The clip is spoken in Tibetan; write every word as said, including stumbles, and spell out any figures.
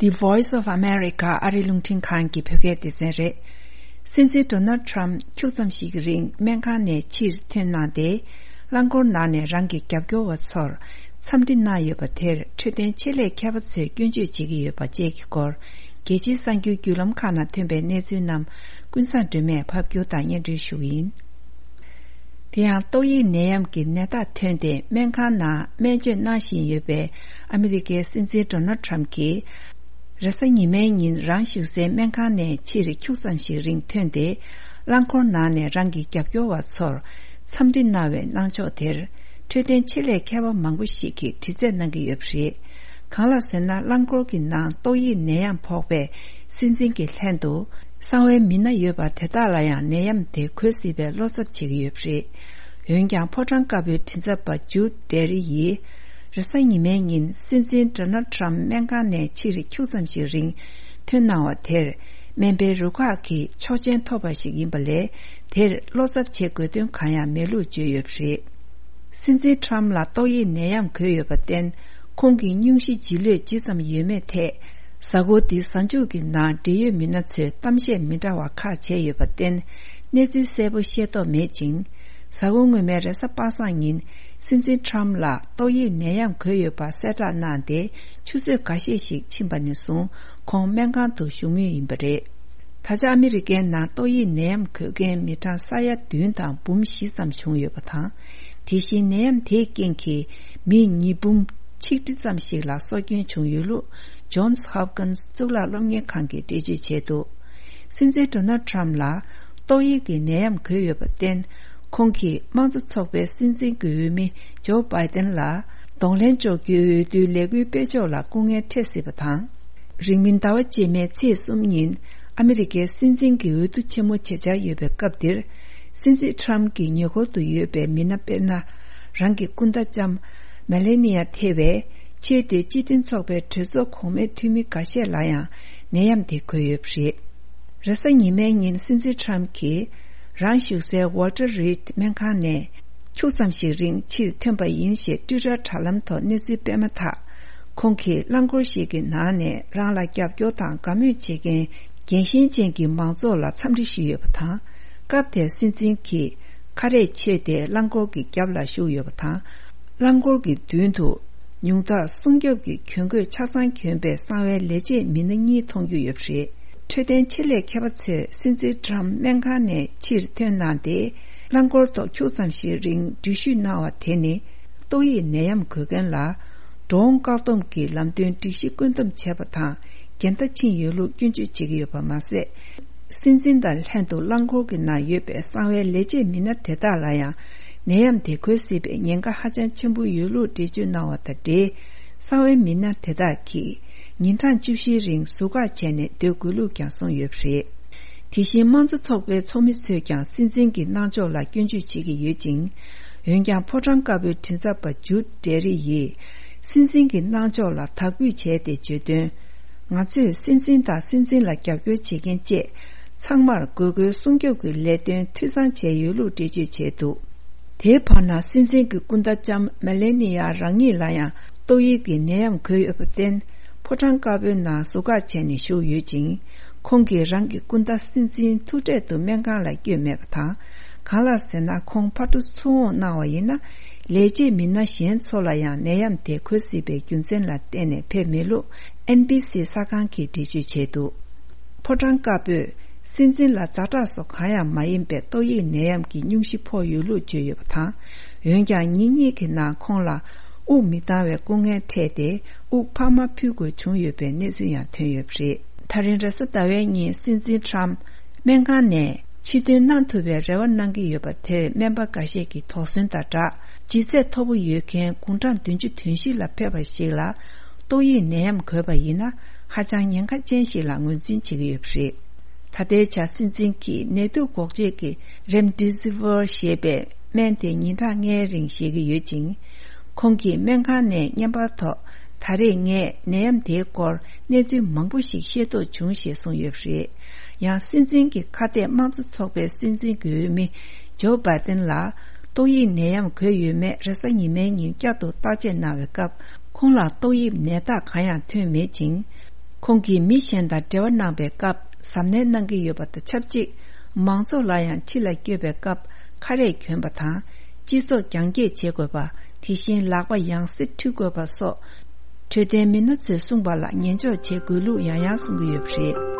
The Voice of America ཨ་རིའི་རླུང་འཕྲིན་ཁང་གི་བོད་སྐད་སྡེ་ཚན་རེད། སྲིད་འཛིན་ཌོ་ནལ་ཌི་ཊརམ་ཁྱུག་ཙམ་ཞིག་གི་རིང་སྨན་ཁང་ནས་ཕྱིར་ཐོན་གནང་སྟེ། རླངས་འཁོར་ནང་ནས་རང་གི་རྒྱབ་སྐྱོར་བ་ཚོར་འཚམས་འདྲི་གནང་ཡོད་པ་དེར་འཕྲོད་བསྟེན་ཆེད་ལས་མཁས་པ་ཚོས་སྐྱོན་བརྗོད་བྱེད་ཀྱི་ཡོད་པ་བཅས་ཀྱི་སྐོར། རྒྱལ་སྤྱིའི་གསར་འགྱུར་བརྒྱུད་ལམ་ཁག་ནང་ཐོན་པའི་གནས་ཚུལ་རྣམས་ཀུན་བཟང་སྒྲོལ་མས་ཕབ་སྒྱུར་དང་སྙན་སྒྲོན་ཞུ་གི་ཡིན། དེ་ཡང་ཏོག་དབྱིབས་ནད་ཡམས་ཀྱི་ནད་རྟགས་ཐོན་ཏེ་སྨན་ཁང་ནང་སྨན་བཅོས་གནང་བཞིན་ཡོད་པའི་ཨ་མི་རི་ཀའི་སྲིད་འཛིན་ཌོ་ནལ་ཌི་ཊརམ་གྱིས། རེས་གཟའ་ཉི་མའི་ཉིན་རང་བཞུགས་སའི་སྨན་ཁང་ནས་ཕྱིར་ཁྱུག་ཙམ་ཞིག་རིང་ཐོན་ཏེ། རླངས་འཁོར་ནང་ནས་རང་གི་རྒྱབ་སྐྱོར་བ་ཚོར་འཚམས་འདྲི་གནང་བའི་གནང་ཕྱོགས་དེར། འཕྲོད་བསྟེན་ཆེད་ལས་མཁས་པ་མང་པོ་ཞིག་གིས་དྲི་རྩད་གནང་གི་ཡོད་པ་རེད། གང་ལགས་ཟེར་ན། རླངས་འཁོར་གྱི་ནང་ཏོག་དབྱིབས་ནད་ཡམས་ཕོག་པའི་སྲིད་འཛིན་གྱི་ལྷན་དུ། གསང་བའི་མི་སྣ་ཡོད་པ་དེ་དག་ལ་ཡང་ནད་ཡམས་དེ་འགོས་སྲིད་པའི་བློ་འཚབ་བྱེད་ཀྱི་ཡོད་པ་རེད། འོན་ཀྱང་། ཕོ་བྲང་དཀར་པོའི་མགྲིན་ཚབ་པ་ཇུད་ཌེ་རི་ཡིས། རེས་གཟའ་ཉི་མའི་ཉིན་སྲིད་འཛིན་ཌོ་ནལ་ཌི་ཊརམ་སྨན་ཁང་ནས་ཕྱིར་ཁྱུག་ཙམ་ཞིག་རིང་ཐོན་གནང་བ་དེར། སྨན་པའི་རུ་ཁག་གིས་ཆོག་མཆན་ཐོབ་པ་ཞིག་ཡིན་པ་ལས། དེར་བློ་འཚབ་བྱེད་དགོས་དོན་གང་ཡང་མེད་ལུགས་བརྗོད་ཡོད་པ་རེད། སྲིད་འཛིན་ཊམ་ལ་ཏོག་དབྱིབས་ནད་ཡམས་འགོས་ཡོད་པར་བརྟེན། ཁོང་གི་སྙུང་གཞི་ལྗིད་ལོས་ཇི་ཙམ་ཡོད་མེད་ཐད། གཟའ་འཁོར་འདིའི་གཟའ་མཇུག་གི་ནང་འབྲེལ་ཡོད་མི་སྣ་ཚོས་གཏམ་བཤད་མི་འདྲ་བ་ཁག་བྱས་ཡོད་པར་བརྟེན། གནས་ཚུལ་གསལ་པོ་ཤེས་རྟོགས་མེད་ཅིང་། གཟའ་འཁོར་སྔོན་མའི་རེས་གཟའ་པ་སངས་ཉིན། སྲིད་འཛིན་ཊམ་ལ་ཏོག་དབྱིབས་ནད་ཡམས་འགོས་ཡོད་པ་གསལ་བསྒྲགས་གནང་སྟེ། ཆུ་ཚོད་འགའ་ཤས་ཤིག་ཕྱིན་པ་ནས་བཟུང་ཁོང་སྨན་ཁང་དུ་བཞུགས་མུས་ཡིན་པ་རེད། ད་ཆ་ཨ་མི་རི་ཀའི་ནང་ཏོག་དབྱིབས་ནད་ཡམས་འགོས་མཁན་མི་གྲངས་ས་ཡ་བདུན་དང་འབུམ་བཞི་ཙམ་བྱུང་ཡོད་པ་དང་། དེ་བཞིན་ནད་ཡམས་དེའི་རྐྱེན་གྱིས་མི་ཉིས་འབུམ་ཆིག་ཁྲི་ཙམ་ཞིག་ལ་སྲོག་སྐྱོན་བྱུང་ཡོད་ལུགས། ཇོན་སི་ཧོབ་ཀིན་སི་གཙུག་ལག་སློབ་གཉེར་ཁང་གིས་འགྲེལ་བརྗོད་བྱས་འདུག་སྲིད་འཛིན་ཌོ་ནལ་ཊམ་ལ་ཏོག་དབྱིབས་ཀྱི་ནད་ཡམས་འགོས་ཡོད་པར་བརྟེན། ཁོང་གིས་དམངས་གཙོ་ཚོགས་པའི་སྲིད་འཛིན་གྱི་འོས་མི་ཇོ་བྷའི་ཏན་ལ་གདོང་ལེན་གཅོག་རྒྱུའི་འོས་བསྡུའི་ལས་འགུལ་སྤེལ་ཕྱོགས་ལ་སྐུ་ངལ་འཕྲད་སྲིད་པ་དང་། རིང་མིན་ཟླ་བ་རྗེས་མའི་ཚེས་གསུམ་ཉིན་ཨ་མི་རི་ཀའི་སྲིད་འཛིན་གྱི་འོས་བསྡུ་ཆེན་མོ་བྱེད་འཆར་ཡོད་པའི་སྐབས་འདིར། སྲིད་འཛིན་ཊམ་གྱི་ཉེ་འཁོར་དུ་ཡོད་པའི་མི་སྣ་དཔེར་ན། རང་གི་སྐུ་ཟླ་ལྕམ་མེ་ལེ་ནི་ཡ་ཐེ་བའི་ཆེས་མཐོའི་སྤྱི་མཐུན་ཚོགས་པའི་གྲོས་ཚོགས་གོང་མའི་འཐུས་མི་འགའ་ཤས་ལ་ཡང་ནད་ཡམས་དེ་འགོས་ཡོད་པ་རེད། རེས་གཟའ་ཉི་མའི་ཉིན་སྲིད་འཛིན་ཊམ་གྱིས་རང་བཞུགས་སའི་ཝོལ་ཊར་རིད་སྨན་ཁང་ནས་ཁྱུག་ཙམ་ཞིག་རིང་ཕྱིར་ཐོན་པ་ཡིན་ཞེས་ཊུའི་ཊར་དྲ་ལམ་ཐོག་གནས་ཚུལ་སྤེལ་མ་ཐག་ཁོང་གིས་རླངས་འཁོར་ཞིག་གི་ནང་ནས་རང་ལ་རྒྱབ་སྐྱོར་དང་དགའ་མོས་བྱེད་མཁན་རྒྱལ་ཞེན་ཅན་གྱི་མང་ཚོགས་ལ་འཚམས་འདྲི་ཞུས་ཡོད་པ་དང་། སྐབས་དེར་སྲིད་འཛིན་གྱིས་ཁ་རས་ཕྱོས་ཏེ་རླངས་འཁོར་གྱི་རྒྱབ་ལ་བཞུགས་ཡོད་པ་དང་། རླངས་འཁོར་གྱི་མདུན་དུ་ཉུང་མཐར་སྲུང་སྐྱོབ་ཀྱི་གྱོན་གོས་ཆ་ཚང་གྱོན་པའི་གསང་བའི་ལས་བྱེད་མི་སྣ་གཉིས་མཐོང་རྒྱུ་ཡོད་པ་རེད། འཕྲོད་བསྟེན་ཆེད་ལས་མཁས་པ་ཚོས་སྲིད་འཛིན་ཊམ་སྨན་ཁང་ནས་ཕྱིར་ཐོན་གནང་སྟེ། རླངས་འཁོར་ཐོག་ཁྱུག་ཙམ་ཞིག་རིང་འགྲུལ་བཞུད་གནང་བ་དེ་ནི། ཏོག་དབྱིབས་ནད་ཡམས་འགོས་མཁན་ལ། འགྲོ་འོང་བཀག་སྡོམ་གྱི་ལམ་སྟོན་སྒྲིག་གཞི་བཀོད་འདོམས་བྱས་པ་དང་། འགལ་ཟླ་ཕྱིན་ཡོད་ལུགས་སྐྱོན་བརྗོད་བྱེད་ཀྱི་ཡོད་པ་མ་ཟད། སྲིད་འཛིན་དང་ལྷན་དུ་རླངས་འཁོར་གྱི་ནང་ཡོད་པའི་གསང་བའི་ལས་བྱེད་མི་སྣ་དེ་དག་ལ་ཡང་། ནད་ཡམས་དེ་འགོས་སྲིད་པའི་ཉེན་ཁ་ཧ་ཅང་ཆེན་པོ་ཡོད་ལུགས་འགྲེལ་བརྗོད་གནང་བ་དང་འབྲེལ། གསང་བའི་མི་སྣ་དེ་དག་གིས་ཉིན་གྲངས་བཅུ་བཞིའི་རིང་ཟུར་བཀག་བྱས་ནས་སྡོད་དགོས་ལུགས་ཀྱང་གསུངས་ཡོད་པ་རེད། དེ་བཞིན་དམངས་གཙོ་ཚོགས་པའི་ཚོགས་མི་ཚོས་ཀྱང་སྲིད་འཛིན་གྱི་གནང་ཕྱོགས་ལ་སྐྱོན་བརྗོད་བྱེད་ཀྱི་ཡོད་ཅིང་། འོན་ཀྱང་། ཕོ་བྲང་དཀར་པོའི་མགྲིན་ཚབ་པ་ཇུད་ཌེ་རི་ཡིས། སྲིད་འཛིན་གྱི་གནང་ཕྱོགས་ལ་དག་འབུད་བྱས་ཏེ་བརྗོད་དོན། ང་ཚོས་སྲིད་འཛིན་དང་སྲིད་འཛིན་ལ་རྒྱབ་སྐྱོར་བྱེད་མཁན་བཅས། ཚང་མར་དགོས་མཁོའི་སྲུང་སྐྱོབ་ཀྱི་ལས་དོན་འཐུས་ཚང་བྱས་ཡོད་ལུགས་འགྲེལ་བརྗོད་བྱས་འདུག་དེའི་བར་ན། སྲིད་འཛིན་གྱི་སྐུ་ཟླ་ལྕམ་མེ་ལེ་ནི་ཡ་རང་ཉིད་ལ་ཡང་ཏོག་དབྱིབས་ཀྱི་ནད་ཡམས་འགོས་ཡོད་པར་བརྟེན། ཕོ་བྲང་དཀར་པོའི་ནང་ཟུར་བཀག་བྱས་ནས་བཞུགས་ཡོད་ཅིང་། ཁོང་གིས་རང་གི་སྐུ་ཟླ་སྲིད་འཛིན་ཐུག་འཕྲད་དུ་སྨན་ཁང་ལ་བསྐྱོད་མེད་པ་དང་། གང་ལགས་ཟེར་ན། ཁོང་ཕར་འགྲོ་ཚུར་འོང་གནང་བ་ཡིན་ན། ལས་བྱེད་མི་སྣ་གཞན་ཚོ་ལ་ཡང་ནད་ཡམས་དེ་འགོས་སྲིད་པའི་རྒྱུ་མཚན་ལ་བརྟེན་ནས་ཕེབས་མེད་ལུགས། ཨེན་བྷི་སི་གསར་ཁང་གིས་འགྲེལ་བརྗོད་བྱས་འདུག་ཕོ་བྲང་དཀར་པོས། སྲིད་འཛིན་ལ་ཛ་དྲག་སོགས་གང་ཡང་མ་ཡིན་པའི་ཏོག་དབྱིབས་ནད་ཡམས་ཀྱི་སྙུང་གཞི་ཕོག་ཡོད་ལུགས་བརྗོད་ཡོད་པ་དང་། འོན་ཀྱང་། ཉིན་གཉིས་ཀྱི་ནང་ཁོང་ལ་དབུགས་མི་འདང་བའི་སྐུ་ངལ་འཕྲད་དེ། དབུགས་འཕར་མ་ཕུལ་དགོས་བྱུང་ཡོད་པའི་གནས་ཚུལ་ཡང་ཐོན་ཡོད་པ་རེད། ད་རིང་རེས་གཟའ་ཟླ་བའི་ཉིན་སྲིད་འཛིན་ཊམ་སྨན་ཁང་ནས་ཕྱིར་ཐོན་གནང་ཐུབ་པའི་རེ་བ་གནང་གི་ཡོད་པ་དེར། སྨན་པ་འགའ་ཤས་ཀྱིས་དོགས་ཟོན་དང་སྦྲགས། ལྗིད་ཚད་མཐོ་པོ་ཡོད་མཁན་དགུང་གྲངས་བདུན་ཅུ་དོན་བཞི་ལ་ཕེབས་པ་ཞིག་ལ། ཏོག་དབྱིབས་ནད་ཡམས་འགོས་པ་ཡིན་ན། ཧ་ཅང་ཉེན་ཁ་ཅན་ཞིག་ལ་ངོས་འཛིན་བྱེད་ཀྱི་ཡོད་པ་རེད། ད་ལྟའི་ཆར་སྲིད་འཛིན་གྱིས་ནད་དུག་འགོག་བྱེད་ཀྱི་རེམ་ཌི་སི་ཝིར་ཞེས་པའི་སྨན་དེ་ཉིན་གྲངས་ལྔའི་རིང་བཞེས་ཀྱི་ཡོད་ཅིང་། ཁོང་གིས་སྨན་ཁང་ནས་བརྙན་པར་ཐོག་ད་རེས་ངས་ནད་ཡམས་དེའི་སྐོར་གནས་ཚུལ་མང་པོ་ཞིག་ཤེས་རྟོགས་བྱུང་ཞེས་གསུངས་ཡོད་པ་རེད། ཡང་སྲིད་འཛིན་གྱི་ཁ་གཏད་དམངས་གཙོ་ཚོགས་པའི་སྲིད་འཛིན་གྱི་འོས་མི་ཇོ་བྷའི་ཏན་ལ་ཏོག་དབྱིབས་ནད་ཡམས་འགོས་ཡོད་མེད་རེས་གཟའ་ཉི་མའི་ཉིན་བསྐྱར་དུ་བརྟག་དཔྱད་གནང་བའི་སྐབས། ཁོང་ལ་ཏོག་དབྱིབས་ནད་རྟགས་གང་ཡང་ཐོན་མེད་ཅིང་། ཁོང་གིས་མི་གཞན་དང་འབྲེལ་བ་གནང་པའི་སྐབས་གཟབ་ནན་གནང་གི་ཡོད་པ་དང་ཆབས་ཅིག་མང་ཚོགས་ལ་ཡང་ཕྱི་ལ་སྐྱོད་པའི་སྐབས་ཁ་རས་གྱོན་པ་དང་། སྤྱི་ཚོགས་རྒྱང་བཀྱེད་བྱེད་དགོས་པ། དེ་བཞིན་ལག་པ་ཡང་སེ་འཁྲུད་དགོས་པ་སོགས་འཕྲོད་བསྟེན་མི་སྣ་ཚོས་གསུངས་པ་ལ་ཉན་འཇོག་བྱེད་དགོས་ལུགས་ཡང་ཡང་གསུང་གི་ཡོད་པ་རེད།